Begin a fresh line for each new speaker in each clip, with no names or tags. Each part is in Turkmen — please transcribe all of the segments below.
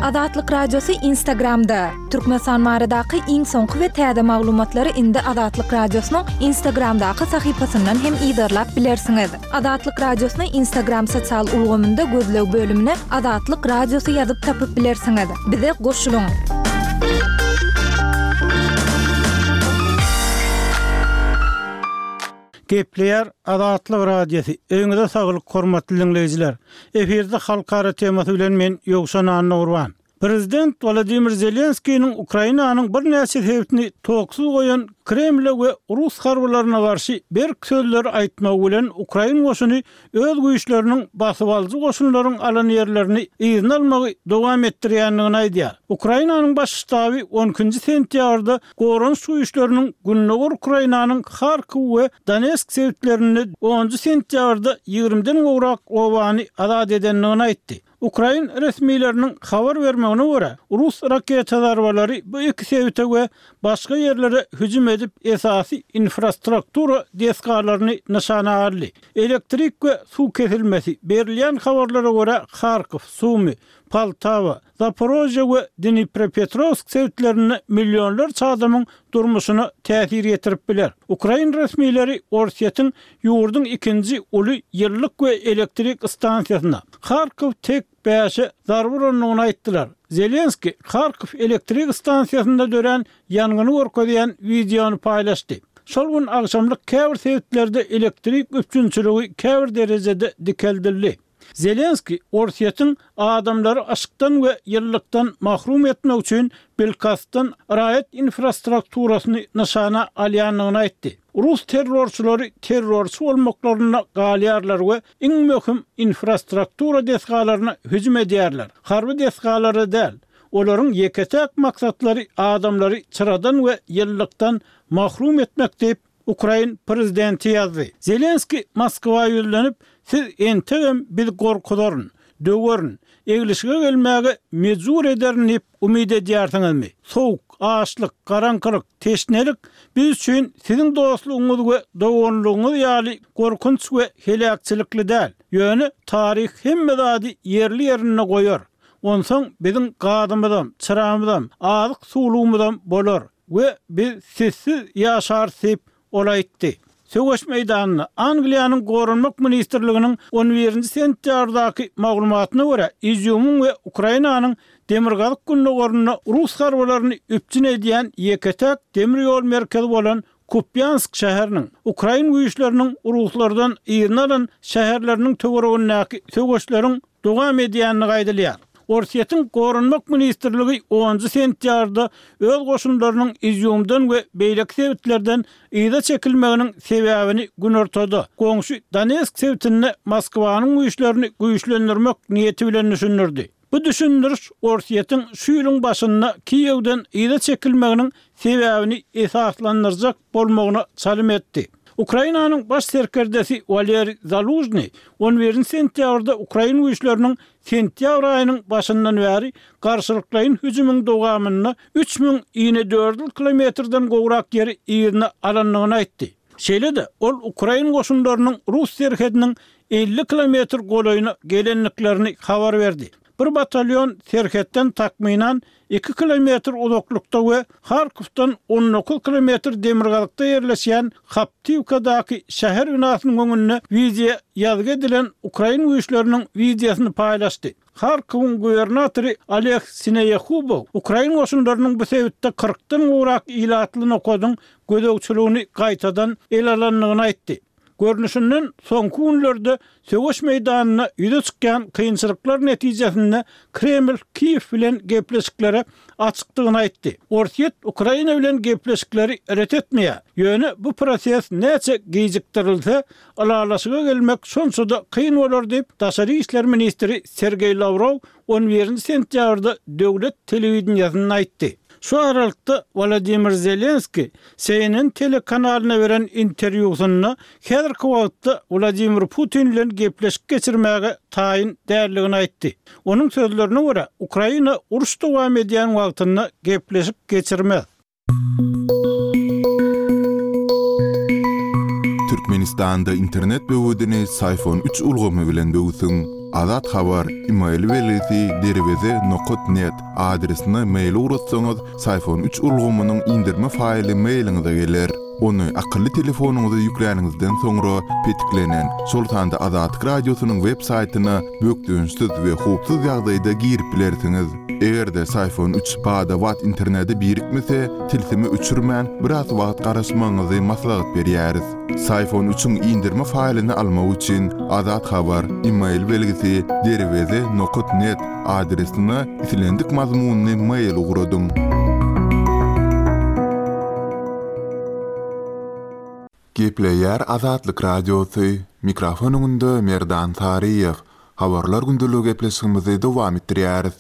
Azatlyk Radiosy Instagramda! Türkmenistan baradaky iň soňky we täze maglumatlary indi Azatlyk Radiosynyň Instagramdaky sahypasyndan hem yzarlap bilersiňiz. Azatlyk Radiosyny Instagram sosial ulgamynda gözleg bölümine Azatlyk Radiosy ýazyp tapyp bilersiňiz. Bize goşulyň!
Gepleýär Azatlyk Radiosy, Öýüňize saglyk hormatly diňleýjiler! Efirde Halkara temasy bilen men Ýowşan Annagurban. Prezident Wolodymyr Zelenskiniň Ukrainanyň birnäçe sebitini toksuz goýan Kremle we rus harbylaryna garşy berk sözleri aýtmagy bilen ukrain goşuny öz güýçleriniň basybalyjy goşunlaryň alan ýerlerini yzyna almagy dowam etdirýändigini aýdýar. Ukrainanyň Baş ştaby on ikinji sentýabrda Goranyş güýçleriniň gündogar Ukrainanyň Harkow we Donetsk sebitlerinde onunjy sentýabrda ýigrimiden gowrak obany azat edendigini aýtdy. Ukrain resmileriniň habar bermegine görä, rus raketa zarbalary bu iki sebite we başga ýerlere hüjüm edip, esasy infrastruktura desgalaryny nyşana aldy. Elektrik we suw kesilmesi, berilýän habarlara görä, Harkow, Sumy, Poltawa, Zaporožýe we Dniprepetrowsk sebitlerinde millionlarça adamyň durmuşyna täsir ýetirip biler. Ukrain resmileri Orsýetiň ýurduň ikinji uly ýyllyk we elektrik stansiýasyna, Harkow tek bäşe zarba urandygyny aýtdylar. Zelenskiý Harkow elektrik stansiýasynda dörän ýangyny görkezýän wideony paýlaşdy. Şol gün agşamlyk käbir sebitlerde elektrik üpjünçiligi käbir derejede dikeldildi. Zelenskiý Orsýetiň adamlary yşykdan we ýylylykdan mahrum etmek üçin bilkastdan raýat infrastrukturasyny nyşana alýandygyny aýtdy. Rus terrorçylary terrorçy bolmaklarynda galýarlar we iň möhüm infrastruktura desgalaryna hüjüm edýärler, harby desgalara däl. Olaryň ýeke-täk maksatlary adamlary çyradan we ýylylykdan mahrum etmek diýip, Ukrain prezidenti ýazdy. Zelenskiý Moskwa ýüzlenip, Siz entegem bizi gorkuzaryn, döwerin, eglişige gelmäge mejbur ederin diýip umyt edýärsiňizmi? Sowuk, açlyk, garaňkylyk, teşnelik biz üçin siziň dostlugyňyz we doganlygyňyz ýaly gorkunç we heläkçilikli däl. Ýöne taryh hemme zady ýerli-ýerinde goýar. Onsoň biziň gazymyzam, çyramyzam, azyk-suwlugymyzam bolar. We biz sizsiz ýaşarys diýip, ol aýtdy. Söweş meýdanynda, Angliýanyň Goranmak ministrliginiň on birinji sentýabrdaky maglumatyna görä, Izýumyň we Ukrainanyň demirgazyk-gündogarynda rus harbylaryny üpjün edýän ýeke-täk demir ýol merkezi bolan Kupýansk şäheriniň, ukrain güýçleriniň ruslardan yzyna alan şäherleriniň töweregindäki söweşleriň dowam edýändigi aýdylýar. Orsýetiň Goranmak ministrligi onunjy sentýabrda öz goşunlarynyň Izýumdan we beýleki sebitlerden yza çekilmeginiň sebäbini günortada, goňşy Donetsk sebitinde Moskwanyň güýçlerini güýçlendirmek niýeti bilen düşündirdi. Bu düşündiriş Orsýetiň şu ýylyň başynda Kiýewden yza çekilmeginiň sebäbini esaslandyrjak bolmagyna çalym etdi. Ukrainanyň baş serkerdesi Waleriý Zalužnyý on birinji sentýabrda ukrain güýçleriniň sentýabr aýynyň başyndan bäri garşylyklaýyn hüjümiň dowamynda 3000 inedördül kilometrden gowrak ýeri yzyna alandygyny aýtdy. Şeýle-de, ol ukrain goşunlarynyň rus serhediniň 50 kilometr golaýyna gelendiklerini habar berdi. Bir batalýon serhetden takmynan iki kilometr uzaklykda we Harkowdan 19 kilometr demirgazykda ýerleşýän Haptiwkadaky şäher binasynyň öňünde wideo ýazgy edilen ukrain güýçleriniň wideosyny paýlaşdy. Harkowyň gubernatory Oleg Sineýehubow ukrain goşunlarynyň bu sebitde kyrkdan gowrak ilatly nokadyň gözegçiligini gaýtadan ele alandygyny aýtdy. Görnüşinden, soňky günlerde söweş meýdanynda ýüze çykýan kynçylyklar netijesinde Kreml Kiýew bilen gepleşiklere açykdygyny aýtdy. Orsýet Ukraina bilen gepleşikleri ret etmeýär. Ýöne bu proses näçe gijikdirilse, ylalaşyga gelmek şonça-da kyn bolar diýip, daşary işler ministri Sergeý Lawrow on birinji sentýabrda döwlet telewideniýesinde aýtdy. Şu aralykda, Wolodymyr Zelenskiý CNN telekanalyna beren interwýusynda häzirki wagtda Wladimir Putin bilen gepleşik geçirmäge taýyn däldigini aýtdy. Onuň sözlerine görä, Ukraina uruş dowam edýän wagtynda gepleşik geçirmez.
Türkmenistanda internet böwedini Syfon üç ulgamy bilen böwsüň. Azat Habar, email belgisi derweze nokat net adresine mail ugratsaňyz, Syfon üç ulgamynyň indirme faýly mailiňize geler. Ony akylly telefonyňyza ýükläniňizden soňra, petiklenen, şol sanda Azatlyk Radiosynyň web saýtyna bökdençsiz we howpsuz ýagdaýda girip bilersiňiz. Eger-de Syfon üç bada-bat internete birikmese, tilsimi öçürmän, biraz wagt garaşmagyňyzy maslahat berýäris. Syfon üçiň indirme faýlyny almak üçin, Azat Habar, email belgisi, derweze nokat net adresine islendik mazmunly mail ugradyň. Gepleýär Azatlyk Radiosy, mikrofon öňünde Merdan Saryýew. Habarlar gündeligi gepleşigimizi dowam etdirýäris.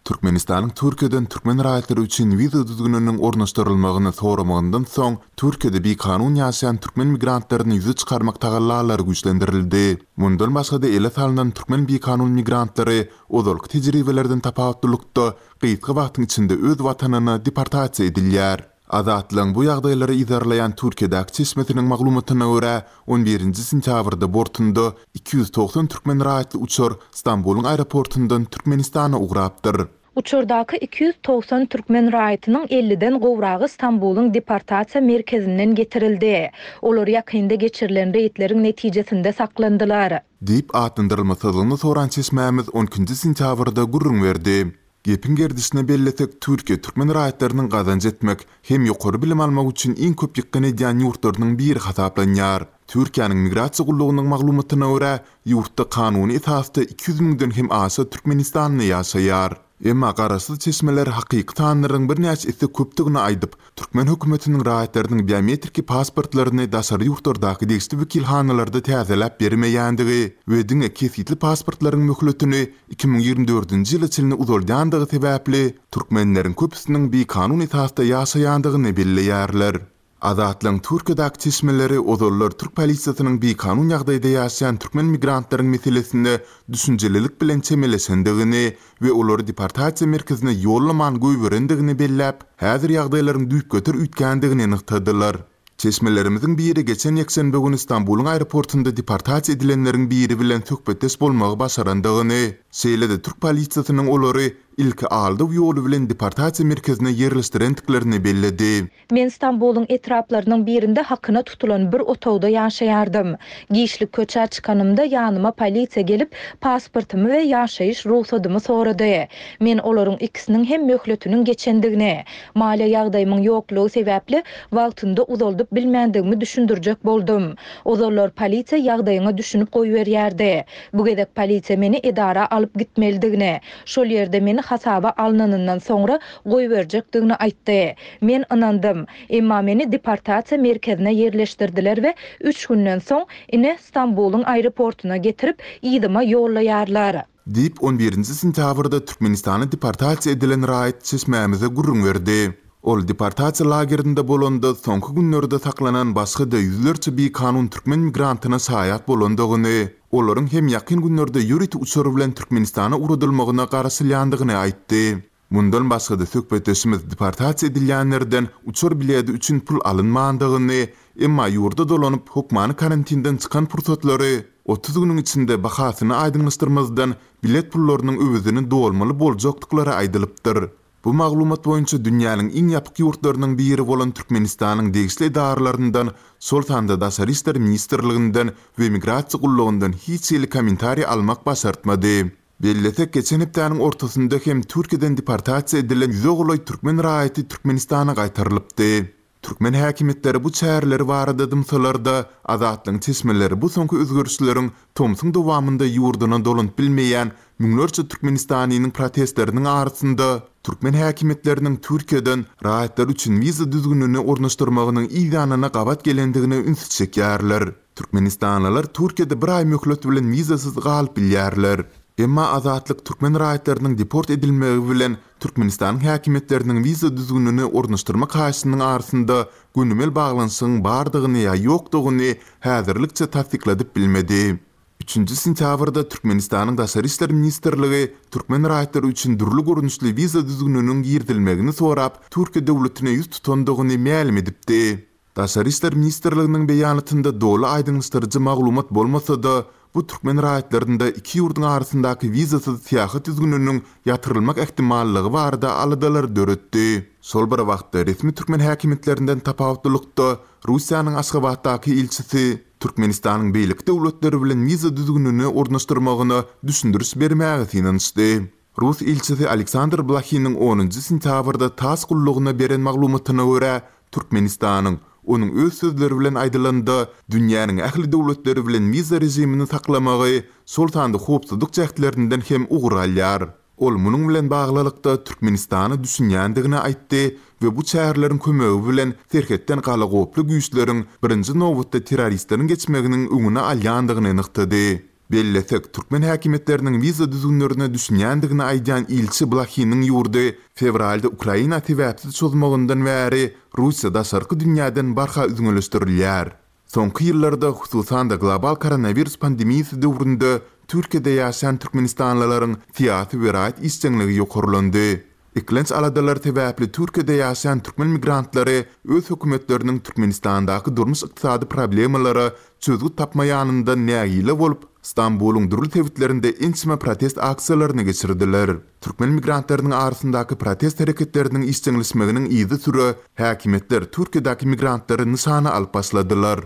Türkmenistanyň Türkiýeden türkmen raýatlary üçin wiza düzgüniniň ornaşdyrylmagyny soramagyndan soň, Türkiýede bikanun ýaşaýan türkmen migrantlaryny ýüze çykarmak tagallalary güýçlendirildi. Mundan başga-da ele salnan türkmen bikanun migrantlary ozalky tejribelerden tapawutlylykda gysga wagtyň içinde öz watanyna deportasiýa edilýär. Azatlygyň bu ýagdaýlary yzarlaýan Türkiýedäki çeşmesiniň maglumatyna görä, on birinji sentýabrda bortunda 290 türkmen raýatly uçar Stambulyň aeroportundan Türkmenistana ugrapdyr.
Uçardaky 290 türkmen raýatynyň elliden gowragy Stambulyň deportasiýa merkezinden getirildi. Olar ýakynda geçirilen reýdleriň netijesinde saklandylar.
Diýip atlandyrylmasyzlygyny soran çeşmämiz on ikinji sentýabrda gürrüň berdi. Gepiň gerdişine bellesek, Türkiýe türkmen raýatlarynyň gazanç etmek hem ýokary bilim almak üçin iň köp ýykgyn edýän ýurtlarynyň biri hasaplanýar. Türkiýäniň Migrasiýa gullugynyň maglumatyna görä, ýurtda kanuny esasda 200 müňden hem aşa türkmenistanly ýaşaýar. Emma garaşsyz çeşmeler hakyky sanlaryň birnäçe esse köpdügini aýdyp, Türkmen hökümetiniň raýatlarynyň biometriki pasportlaryny daşary ýurtlardaky degişli wekilhanalarda täzeläp bermeýändigi we diňe kesgitli pasportlaryň möhletini 2024-nji ýyla çenli uzaldýandygy sebäpli türkmenleriň köpüsiniň bikanun esasda ýaşaýandygyny belleýärler. Azatlygyň Türkiýedäki çeşmeleri ozallar türk polisiýasynyň bikanun ýagdaýda ýaşaýan türkmen migrantlaryň meselesine düşünjelilik bilen çemeleşendigini we olary deportasiýa merkezine ýollaman goýberendigini belläp, häzir ýagdaýlaryň düýpgöter üýtgändigini nygtadylar. Çeşmelerimiziň biri geçen ýekşenbe güni Stambulyň aeroportunda deportasiýa edilenleriň biri bilen söhbetdeş bolmagy başarandygyny, şeýle-de türk polisiýasynyň olary ilki aldaw ýoly bilen deportasiýa merkezine ýerleşdirendiklerini belledi.
Men Stambulyň etraplarynyň birinde hakyna tutulan bir otagda ýaşaýardym. Giçlik köçä çykanymda ýanyma polisiýa gelip, pasportymy we ýaşaýyş rugsadymy sorady. Men olaryň ikisiniň hem möhletiniň geçendigini, maliýe ýagdaýymyň ýoklugy sebäpli wagtynda uzaldyp bilmändigimi düşündirjek boldum. Ozallar polisiýa ýagdaýyňa düşünip goýberýärdi. Bu gezek polisiýa meni edara alyp gitmelidigini, şol ýerde meni hasaba alnanyndan soňra goýberjekdigini aýtdy. Men ynandym. Emma meni deportasiýa merkezine ýerleşdirdiler we üç günden soň, ine, Stambulyň aeroportuna getirip, yzyma ýollaýarlar.
Diýip, on birinji sentýabrda Türkmenistana deportasiýa edilen raýat çeşmämize gürrüň berdi. Ol deportasiýa lagerinde bolanda soňky günlerde saklanan başga-da ýüzlerçe bikanun türkmen migrantyna şaýat bolandygyny, olaryň hem ýakyn günlerde ýörite uçar bilen Türkmenistana ugradylmagyna garaşylýandygyny aýtdy. Mundan başga-da söhbetdeşimiz deportasiýa edilýänlerden uçar biledi üçin pul alynmandygyny, emma ýurda dolanyp, hökmany karantinden çykan pursatlary 30 günüň içinde bahasyny aýdyňlaşdyrmazdan bilet pullarynyň öwezini dolmaly boljakdyklary aýdylypdyr. Bu maglumat boýunça dünýäniň iň ýapyk ýurtlarynyň biri bolan Türkmenistanyň degişli edaralaryndan, şol sanda Daşary işler ministrliginden we Migrasiýa gullugyndan hiç hili kommentariý almak başartmady. Bellesek, geçen hepdäniň ortasynda hem Türkiýeden deportasiýa edilen ýüze golaý türkmen raýaty Türkmenistana gaýtarylypdy. Türkmen häkimiýetleri bu çäreleri barada dymsalar-da, Azatlygyň çeşmeleri bu soňky özgerişleriň tomsuň dowamynda ýurduna dolanyp bilmeýän müňlerçe türkmenistanlynyň protestleriniň arasynda türkmen häkimiýetleriniň Türkiýeden raýatlar üçin wiza düzgünini ornaşdyrmagynyň yzýanyna gabat gelendigine ünsi çekýärler. Türkmenistanlylar Türkiýede bir aý möhlet bilen wizasyz galyp bilýärler. Emma Azatlyk türkmen raýatlarynyň deport edilmegi bilen Türkmenistanyň häkimiýetleriniň wiza düzgünini ornaşdyrmak haýyşynyň arasynda gönümel baglanyşygyň bardygyny ýa ýokdugyny häzirlikçe tassykladyp bilmedi. Üçünji sentýabrda Türkmenistanyň Daşary işler ministrligi türkmen raýatlary üçin dürli görnüşli wiza düzgüniniň girizilmegini sorap, Türkiýe döwletine ýüz tutandygyny mälim edipdi. Daşary işler ministrliginiň beýanatynda doly aýdyňlaşdyryjy maglumat bolmasa-da, Bu türkmen raýatlarynda iki ýurduň arasyndaky wizasyz syýahat düzgüniniň ýatyrylmak ähtimallygy barada aladalary döretdi. Şol bir wagtda, resmi türkmen häkimiýetlerinden tapawutlylykda, Russiýanyň Aşgabatdaky ilçisi Türkmenistanyň beýleki döwletler bilen wiza düzgünini ornaşdyrmagyna düşündiriş bermäge synanyşdy. Rus ilçisi Aleksandr Blahiniň onunjy sentýabrda tass gullugyna beren maglumatyna görä, Türkmenistanyň, onuň öz sözleri bilen aýdylanda, dünýäniň ähli döwletleri bilen wiza režimini saklamagy, şol sanda howpsuzlyk jähtlerinden hem ugur alýar. Ol munuň bilen baglylykda Türkmenistana düşünýändigini aýtdy we bu çäreleriň kömegi bilen serhetden galagoply güýçleriň, birinji nobatda terroristleriň geçmeginiň öňüni alýandygyny nygtady. Bellesek, türkmen häkimiýetleriniň wiza düzgünlerine düşünýändigini aýdýan ilçi Blahiniň ýurdy fewralda Ukraina sebäpsiz çozmagyndan bäri Russiýa daşarky dünýäden barha üzňeleşdirilýär. Soňky ýyllarda, hususan-da global koronawirus pandemiýasy döwründe Türkiýede ýaşaýan türkmenistanlylaryň syýasy we raýat işjeňligi ýokarlandy. Eklenç aladalar sebäpli Türkiýede ýaşaýan türkmen migrantlary öz hökümetleriniň Türkmenistandaky durmuş-ykdysady problemalara çözgüt tapmaýanyndan nägile bolup, Stambulyň dürli sebitlerinde ençeme protest aksiýalaryny geçirdiler. Türkmen migrantlarynyň arasyndaky protest hereketleriniň işjeňleşmeginiň yzysüre häkimiýetler Türkiýedäki migrantlary nyşana alyp başladylar.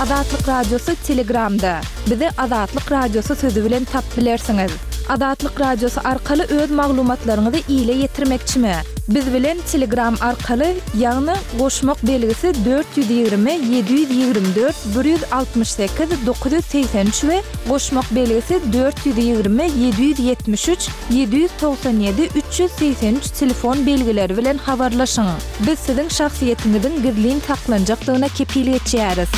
Azatlyk Radiosy Telegramda. Bizi Azatlyk Radiosy sözi bilen tapyp bilersiňiz. Azatlyk Radiosy arkaly öz maglumatlaryňyzy ile ýetirmekçimi? Biz bilen Telegram arkaly, ýagny goşmak belgisi 420 724 168 983 we goşmak belgisi 420 773 797 383 telefon belgileri bilen habarlaşyň. Biz siziň şahsyýetiňiziň gizlin saklanjakdygyna kepil geçýäris.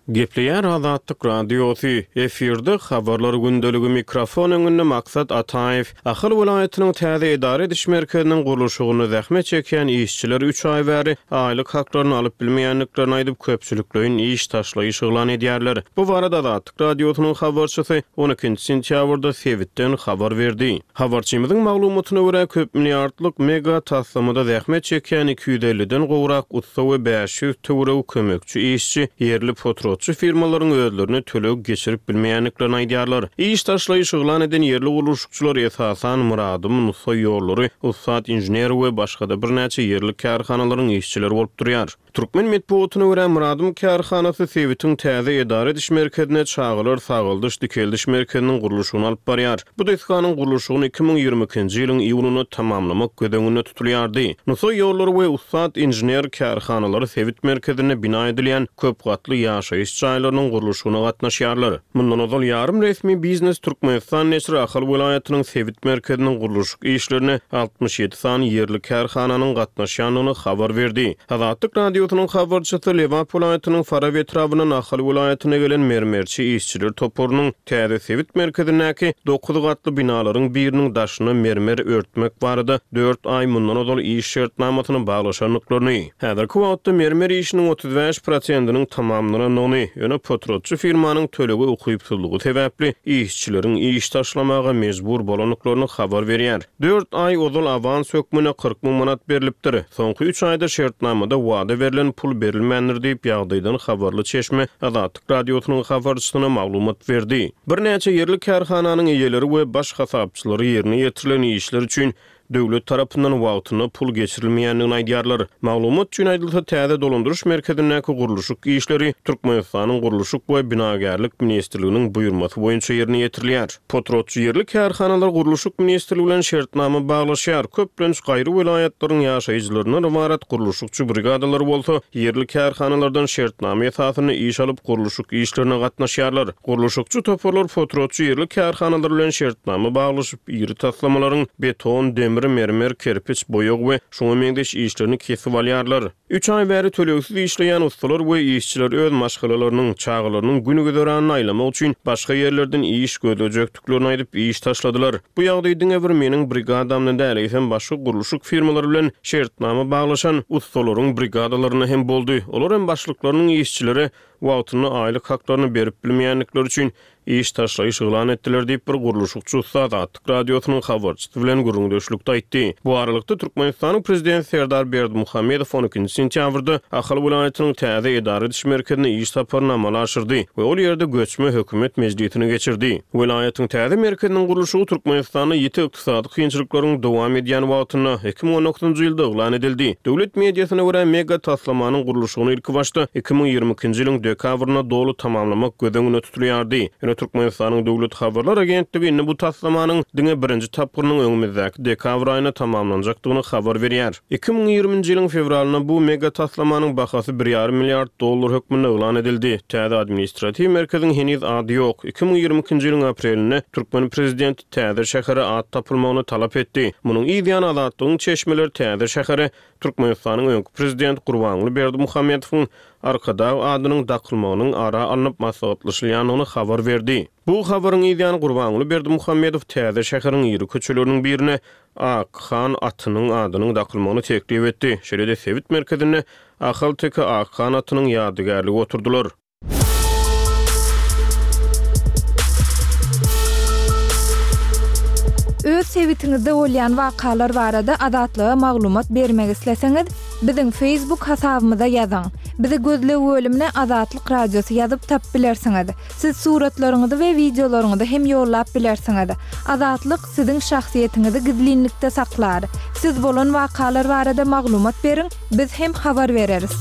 Gepleýär Azatlyk Radiosy, efirde Habarlar gündeligi, mikrofon öňünde Maksat Ataýew. Ahal welaýatynyň täze edara ediş merkeziniň gurluşygynda zähmet çekýän işçiler üç aý bäri aýlyk haklaryny alyp bilmeýändiklerini aýdyp, köpçülikleýin iş taşlaýyş yglan edýärler. Bu barada Azatlyk Radiosynyň habarçysy on ikinji sentýabrda sebitden habar berdi. Habarçymyzyň maglumatyna görä, köp milliardlyk mega taslamada zähmet çekýän 250-den gowrak ussa we 500 töweregi kömekçi işçi ýerli potratçy firmalaryň özlerine töleg geçirip bilmeýändiklerini aýdýarlar. Iş taşlaýyş yglan eden ýerli gurluşykçylar esasan Myradym, Nusaý ýollary, Ussat inžener we başga-da birnäçe ýerli kärhanalaryň işçileri bolup durýar. Türkmen metbugatyna görä, Myradym kärhanasy sebitiň täze edara ediş merkezinde çagalar sagaldyş-dikeldiş merkeziniň gurluşygyny alyp barýar. Bu desganyň gurluşygyny 2022-nji ýylyň iýunynda tamamlamak göz öňünde tutulýardy. Nusaý ýollary we Ussat inžener kärhanalary sebit merkezinde bina edilýän köp gatly ýaşaýyş jaýlarynyň gurluşygyna gatnaşýarlar. Mundan ozal ýarym resmi Biznes Türkmenistan neşiri Ahal welaýatynyň sebit merkeziniň gurluşyk işlerine 67 sany ýerli kärhananyň gatnaşýandygyny habar berdi. Azatlyk Radiosynyň habarçysy Lebap welaýatynyň Farap etrabyndan Ahal welaýatyna gelen mermerçi işçiler toparynyň täze sebit merkezindäki dokuz gatly binalaryň biriniň daşyna mermer örtmek barada dört aý mundan ozal iş şertnamasyny baglaşandyklaryny, häzirki wagtda mermer işiniň 35 prosentiniň tamamlanandygyny, ýöne potratçy firmanyň tölege ukypsyzlygy sebäpli işçileriň iş taşlamaga mejbur bolandyklaryny habar berýär. Dört aý ozal awans hökmünde 40 müň manat berlipdir. Soňky üç aýda şertnamada wada berlen pul berilmändir diýip, ýagdaýdan habarly çeşme Azatlyk Radiosynyň habarçysyna maglumat berdi. Birnäçe ýerli kärhananyň eýeleri we baş hasapçylary ýerine ýetirilen işler üçin döwlet tarapyndan wagtynda pul geçirilmeýändigini aýdýarlar. Maglumat üçin aýdylsa, täze dolandyryş merkezindäki gurluşyk işleri Türkmenistanyň Gurluşyk we binagärlik ministrliginiň buýurmasy boýunça ýerine ýetirilýär. Potratçy ýerli kärhanalar Gurluşyk ministrligi bilen şertnama baglaşýar. Köplenç gaýry welaýatlaryň ýaşaýjylaryndan ybarat gurluşykçy brigadalary bolsa ýerli kärhanalardan şertnama esasynda iş alyp gurluşyk işlerine gatnaşýarlar. Gurluşykçy toparlar potratçy ýerli kärhanalar bilen şertnama baglaşyp, iri taslamalaryň beton, demir, mermer, kerpiç, boýag we şuňa meňzeş işlerini kesip alýarlar. Üç aý bäri tölegsiz işleýän ussalar we işçiler öz maşgalalarynyň, çagalarynyň gün-güzeranyny aýlamak üçin başga ýerlerden iş gözlejekdiklerini aýdyp, iş taşladylar. Bu ýagdaý diňe bir meniň brigadamda däl, eýsem başga gurluşyk firmalary bilen şertnama baglaşan ussalaryň brigadalarynda hem boldy. Olar hem başlyklarynyň işçilere. wagtynda aýlyk haklaryny berip bilmeýändikleri üçin iş taşlaýyş yglan etdiler diýip, bir gurluşykçy ussa Azatlyk Radiosynyň habarçysy bilen gürrüňdeşlikde aýtdy. Bu aralykda, Türkmenistanyň prezidenti Serdar Berdimuhamedow on ikinji sentýabrda Ahal welaýatynyň täze edara ediş merkezine iş saparyny amala aşyrdy we ol ýerde göçme hökümet mejlisini geçirdi. Welaýatyň täze merkeziniň gurluşygy Türkmenistanda ýiti ykdysady kynçylyklaryň dowam edýän wagtynda, 2019-njy ýylda yglan edildi. Döwlet mediasyna görä, mega taslamanyň gurluşygyny ilkibaşda 2022-nji ýylyň dekabrynda doly tamamlamak göz öňünde tutulýardy. Ýöne Türkmenistanyň Döwlet habarlar agentligi indi bu taslamanyň diňe birinji tapgyrynyň öňümizdäki dekabr aýynda tamamlanjakdygyny habar berýär. 2020-nji ýylyň fewralynda bu mega taslamanyň bahasy bir ýarym milliard dollar hökmünde yglan edildi. Täze administratiw merkeziň heniz ady ýok. 2022-nji ýylyň aprelinde türkmen prezidenti täze şähere at tapylmagyny talap etdi. Munuň yz ýany Azatlygyň çeşmeleri täze şähere Türkmenistanyň öňki prezidenti Gurbanguly Berdimuhamedowyň Arkadag adynyň dakylmagynyň ara alnyp maslahatlaşylýandygyny habar berdi. Bu habaryň yz ýany Gurbanguly Berdimuhamedow täze şäheriň iri köçeleriniň birine Ak han atynyň adynyň dakylmagyny teklip etdi. Şeýle-de sebit merkezinde Ahalteke Ak han atynyň ýadygärligi oturdylar.
Öz sebitiňizde bolýan wakalar barada Azatlyga maglumat bermek isleseňiz, biziň Facebook hasabymyza ýazyň. Bizi gözleg bölümine Azatlyk Radiosy ýazyp tapyp bilersiňiz. Siz suratlaryňyzy we wideolaryňyzy hem ýollap bilersiňiz. Azatlyk siziň şahsyýetiňizi gizlinlikde saklar. Siz bolan wakalar barada maglumat beriň, biz hem habar bereris.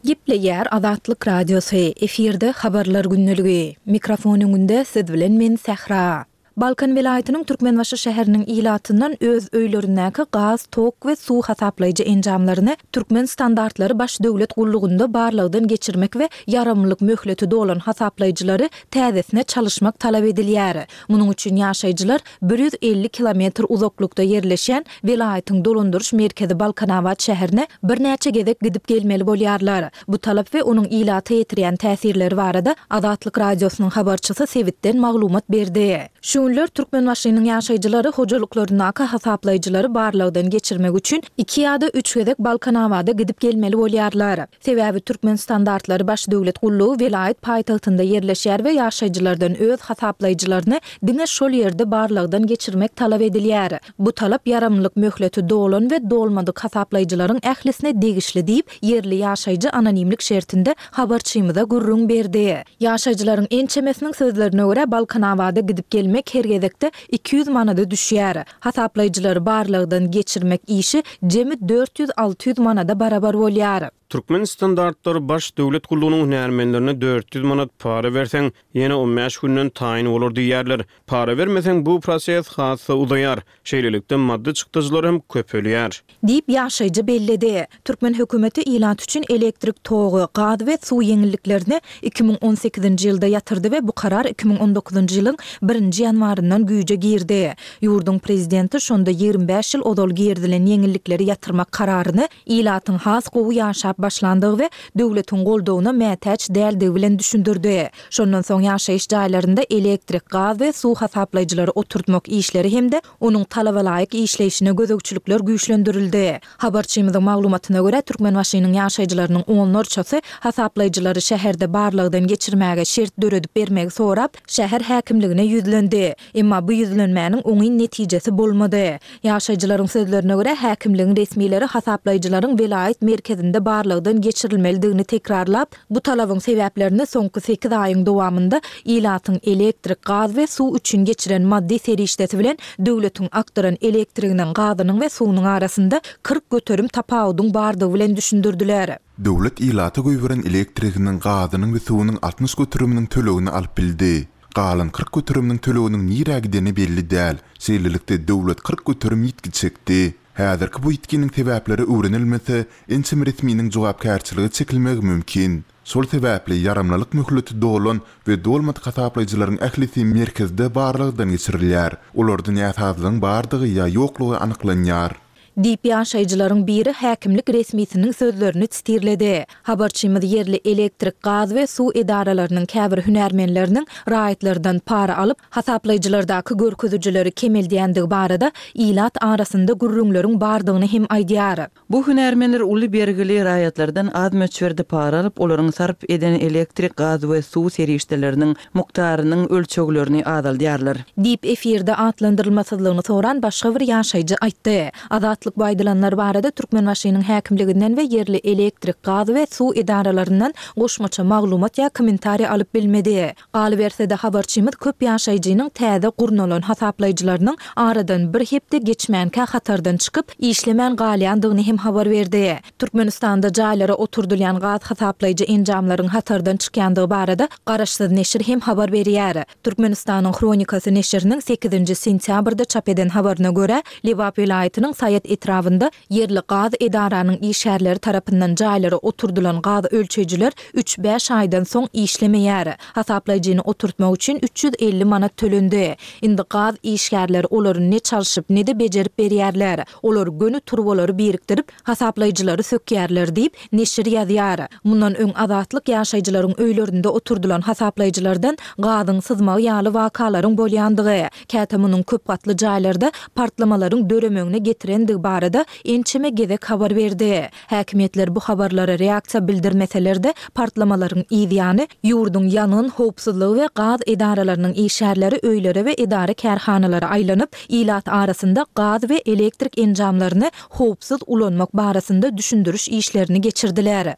Gepleýär Azatlyk Radiosy, efirde Habarlar gündeligi. Mikrofon öňünde siz bilen men Sähra. Balkan welaýatynyň Türkmenbaşy şäheriniň ilatyndan öz öýlerindäki gaz, tok we suw hasaplaýjy enjamlaryny Türkmen standartlary baş döwlet gullugynda barlagdan geçirmek we ýaramlylyk möhleti dolan hasaplaýjylary täzesine çalyşmak talap edilýär. Munuň üçin ýaşaýjylar 150 kilometr uzaklykda ýerleşýän welaýatyň dolandyryş merkezi Balkanabat şäherine birnäçe gezek gidip gelmeli bolýarlar. Bu talap we onuň ilata ýetirýän täsirleri barada Azatlyk Radiosynyň habarçysy sebitden maglumat berdi. Şu günler Türkmenbaşynyň ýaşaýjylary hojalyklaryndaky hasaplaýjylary barlagdan geçirmek üçin iki ýa-da üç gezek Balkanabada gidip gelmeli bolýarlar. Sebäbi Türkmenstandartlary baş döwlet gullugy welaýat paýtagtynda ýerleşýär we ýaşaýjylardan öz hasaplaýjylaryny diňe şol ýerde barlagdan geçirmek talap edilýär. Bu talap ýaramlylyk möhleti dolan we dolmadyk hasaplaýjylaryň ählisine degişli diýip, ýerli ýaşaýjy anonimlik şertinde habarçymyza gürrüň berdi. Ýaşaýjylaryň ençemesiniň sözlerine görä, Balkanabada gidip gelmek her gezekde 200 manada düşýär. Hasaplaýjylary barlagdan geçirmek işi jemi 400-600 manada barabar bolýar.
Türkmen standartlary baş döwlet gullugynyň hünärmenlerine 400 manat para berseň, ýene on bäş günden taýyn bolar diýýärler. Para bermeseň bu proses has-da uzaýar. Şeýlelikde maddy çykdajylar hem köpelýär.
Diýip, ýaşaýjy belledi. Türkmen hökümeti ilat üçin elektrik togy, gaz we suw ýeňilliklerini 2018-nji ýylda ýatyrdy we bu karar 2019-njy ýylyň birinji ýanwaryndan güýje girdi. Ýurduň prezidenti şonda 25 ýyl ozal girizilen ýeňillikleri ýatyrmak kararyny ilatyň has gowy ýaşap başlandygy we döwletiň goldawyna mätäç däldigi bilen düşündirdi. Şondan soň ýaşaýyş jaýlarynda elektrik, gaz we suw hasaplaýjylary oturtmak işleri hem-de onuň talabalaýyk işleýşine gözegçilikler güýçlendirildi. Habarçymyzyň maglumatyna görä, Türkmenbaşynyň ýaşaýjylarynyň onlarçasy hasaplaýjylary şäherde barlagdan geçirmäge şert döredip bermegi sorap, şäher häkimligine ýüzlendi. Emma bu ýüzlenmäniň oňyn netijesi bolmady. Ýaşaýjylaryň sözlerine görä, häkimligiň resmileri hasaplaýjylaryň welaýat merkezinde barlagdan geçirilmelidigini tekrarlap, Bu talabyň sebäplerini soňky sekiz aýyň dowamynda ilatyň elektrik, gaz we suw üçin geçiren maddy serişdesi bilen döwletiň akdyran elektriginiň, gazynyň we suwunyň arasynda 40% tapawudyň bardygy bilen düşündirdiler.
Döwlet ilata goýberen elektriginiň, gazynyň we suwunyň 60 göteriminiň tölegini alyp bildi. Galan 40 göteriminiň töleginiň nirä gideni belli däl. Şeýlelikde, döwlet 40% ýitgi çekdi. Häzirki bu ýitginiň sebäpleri öwrenilmese, ençeme resminiň jogapkärçilige çekilmegi mümkin. Şol sebäpli ýaramlylyk möhleti dolan we dolmadyk hasaplaýjylaryň ählisi merkezde barlagdan geçirilýär. Olarda näsazlygyň bardygy ýa ýoklugy anyklanýar.
Diýip, ýaşaýjylaryň biri häkimlik resmisiniň sözlerini sitirledi. Habarçymyz ýerli elektrik, gaz we suw edaralarynyň käbir hünärmenleriniň raýatlardan para alyp, hasaplaýjylardaky görkezijileri kemeldýändigi barada ilat arasynda gürrüňleriň bardygyny hem aýdýar.
Bu hünärmenler uly bergili raýatlardan az möçberde para alyp, olaryň sarp eden elektrik, gaz we suw serişdeleriniň mukdarynyň ölçeglerini azaldýarlar.
Diýip, efirde atlandyrylmasyzlygyny soran başga bir ýaşaýjy aýtdy. Azatlyk bu aýdylanlar barada Türkmenbaşynyň häkimliginden we ýerli elektrik, gaz we suw edaralaryndan goşmaça maglumat ýa kommentariý alyp bilmedi. Galyberse-de, habarçymyz köp ýaşaýjynyň täze gurnalan hasaplaýjylarynyň aradan bir hepde geçmänkä hatardan çykyp, işlemän galýandygyny hem habar berdi. Türkmenistanda jaýlara oturdylýan gaz hasaplaýjy enjamlaryň hatardan çykýandygy barada garaşsyz neşir hem habar berýär. Türkmenistanyň Hronikasy neşiriniň sekizinji sentýabrda çap eden habaryna görä, Lebap welaýatynyň Saýat etrabynda Ýerli gaz edaranyň işgärleri tarapyndan jaýlara oturdylan gaz ölçeýjiler üç-bäş aýdan soň işlemeýär. Hasaplaýjyny oturtmak üçin 350 manat tölendi. Indi gaz işgärleri olary ne çalşyp, ne-de bejerip berýärler. Olar göni turbalary birikdirip, hasaplaýjylary sökýärler diýip, neşir ýazýar. Mundan öň Azatlyk ýaşaýjylaryň öýlerinde oturdylan hasaplaýjylardan gazyň syzmagy ýaly wakalaryň bolýandygy, Käte munuň köp gatly jaýlarda partlamalaryň döremegine getirendigi barada ençeme gezek habar berdi. Häkimiýetler bu habarlara reaksiýa bildirmeseler-de, partlamalaryň yz ýany, ýurduň ýangyn howpsuzlygy we gaz edaralarynyň işgärleri öýlere we edara-kärhanalara aýlanyp, ilat arasynda gaz we elektrik enjamlaryny howpsuz ulanmak barasynda düşündiriş işlerini geçirdiler.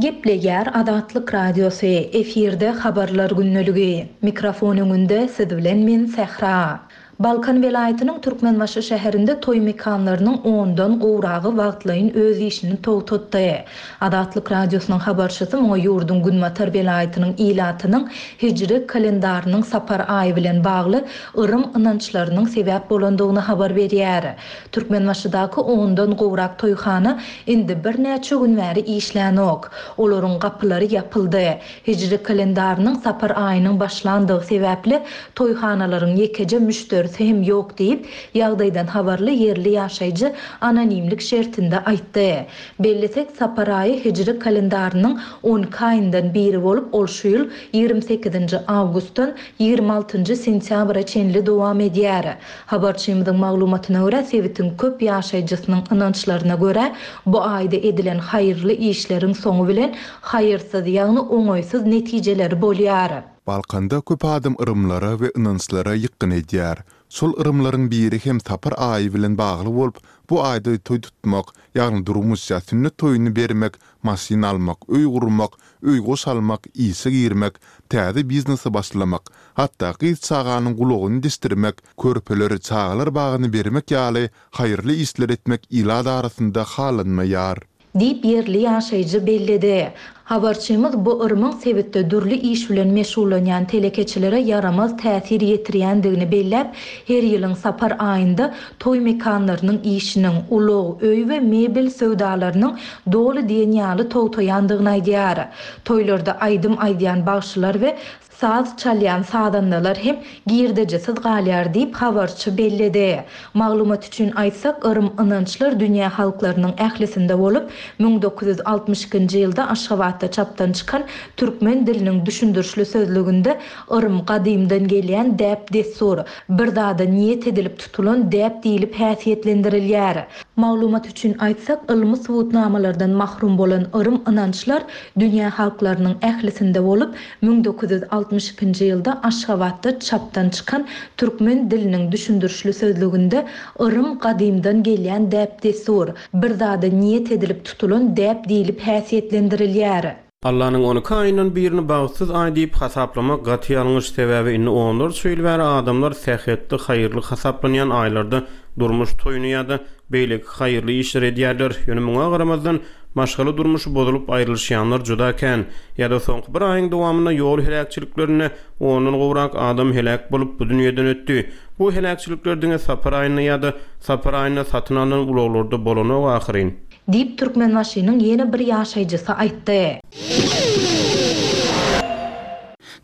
Gepleýär Azatlyk Radiosy, efirde Habarlar gündeligi. Mikrofon öňünde siz bilen men Sähra. Balkan welaýatynyň Türkmenbaşy şäherinde toý mekanlarynyň ondan gowragy wagtlaýyn öz işini togtatdy. Azatlyk Radiosynyň habarçysy muňa ýurduň günbatar welaýatynyň ilatynyň hijri kalendarynyň sapar aýy bilen bagly yrym-ynançlarynyň sebäp bolandygyny habar berýär. Türkmenbaşydaky ondan gowrak toýhana indi birnäçe gün bäri işlänok. Olaryň gapylary ýapyldy. Hijri kalendarynyň sapar aýynyň başlandygy sebäpli, toýhanalaryň ýekeje müşderisi hem ýok diýip, ýagdaýdan habarly ýerli ýaşaýjy anonimlik şertinde aýtdy. Bellesek, sapar aýy hijri kalendarynyň on iki aýyndan biri bolup, ol şu ýyl 28 nji awgustdan 26 njy sentýabra çenli dowam edýär. Habarçymyzyň maglumatyna görä, sebitiň köp ýaşaýjysynyň ynançlaryna görä, bu aýda edilen haýyrly işleriň soňy bilen haýyrsyz, ýagny oňaýsyz netijeleri bolýar.
Balkanda köp adam yrymlara we ynançlara ýykgyn edýär. Şol yrymlaryň biri hem sapar aýy bilen bagly bolup, bu aýda toý tutmak, ýagny durmuş ýa sünnet toýuny bermek, maşyn almak, öý gurmak, öý-goş almak, işe girmek, täze biznese başlamak, hatda gyz çaganyň gulagyny deşdirmek, körpeleri çagalar bagyna bermek ýaly haýyrly işler etmek ilat arasynda halanmaýar.
Diýip, ýerli ýaşaýjy belledi. Habarçymyz bu yrymyň sebitde dürli iş bilen meşgullanýan telekeçilere ýaramaz täsir ýetirýändigini belläp, her ýylyň sapar aýynda toý mekanlarynyň işiniň, ulag, öý we mebel söwdalarynyň doly diýen ýaly togtaýandygyny aýdýar. Toýlarda aýdym aýdýan bagşylar we saz çalýan sazandalar hem girdejisiz galýar diýip, habarçy belledi. Maglumat üçin aýtsak, yrym-ynançlar dünýä halklarynyň ählisinde bolup, 1962-nji ýylda Aşgabatda çapdan çykan Türkmen diliniň düşündirişli sözlüginde yrym gadymdan gelýän däp-dessur, bir zada niýet edilip tutulan däp diýlip häsiýetlendirilýär. Maglumat üçin aýtsak, ylmy subutnamalardan mahrum bolan yrym-ynançlar dünýä halklarynyň ählisinde bolup, 1962-nji ýylda Aşgabatda çapdan çykan Türkmen diliniň düşündirişli sözlüginde yrym gadymdan gelýän däp-dessur, bir zada niýet edilip tutulan däp diýlip häsiýetlendirilýär.
Allanyň on iki aýyndan birini bagtsyz aý diýip hasaplamak gaty ýalňyş, sebäbi indi onlarça ýyl bäri adamlar sähetli, haýyrly hasaplanýan aýlarda durmuş toýuny ýa-da beýleki haýyrly işleri edýärler. Ýöne muňa garamazdan, maşgala durmuşy bozulyp aýrylyşýanlar juda kän. Ýa-da soňky bir aýyň dowamynda ýol heläkçiliklerinde ondan gowrak adam heläk bolup, bu dünýeden ötdi. Bu heläkçilikler diňe sapar aýynda ýa-da sapar aýynda satyn alnan ulaglarda bolanok ahyryn.
Diýip, Türkmenbaşynyň ýene bir ýaşaýjysy aýtdy.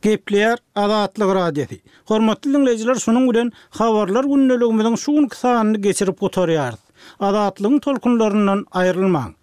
Gepleýär Azatlyk Radiosy. Hormatly diňleýjiler şunuň bilen Habarlar gündeligimiziň şu günki sanyny geçirip gutarýarys. Azatlygyň tolkunlaryndan aýrylmaň.